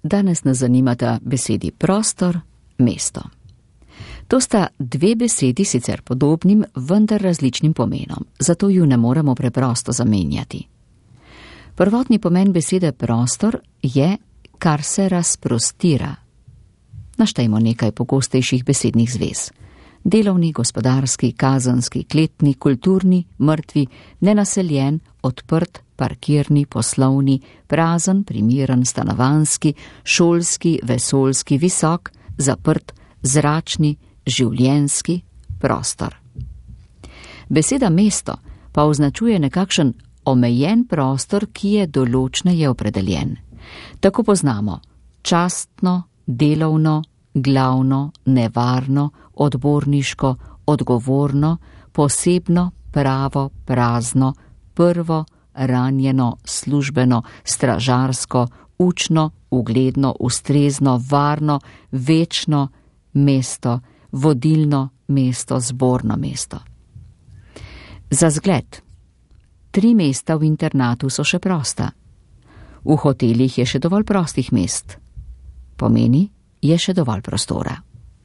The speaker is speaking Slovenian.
danes nas zanimata besedi prostor, mesto. To sta dve besedi sicer podobnim, vendar različnim pomenom, zato ju ne moremo preprosto zamenjati. Prvotni pomen besede prostor je, kar se razprostira. Naštejmo nekaj pogostejših besednih zvez. Delovni, gospodarski, kazenski, kletni, kulturni, mrtvi, nenaseljen, odprt, parkirni, poslovni, prazen, primeren, stanovanjski, šolski, vesoljski, visok, zaprt, zračni, življenjski, prostor. Beseda mesto pa označuje nekakšen omejen prostor, ki je določneje opredeljen. Tako poznamo častno, delovno, glavno, nevarno, odborniško, odgovorno, posebno, pravo, prazno, prvo, ranjeno, službeno, stražarsko, učno, ugledno, ustrezno, varno, večno mesto, vodilno mesto, zborno mesto. Za zgled, 3 mesta v internatu so še prosta. V hotelih je še dovolj prostih mest. Pomeni, je še dovolj prostora.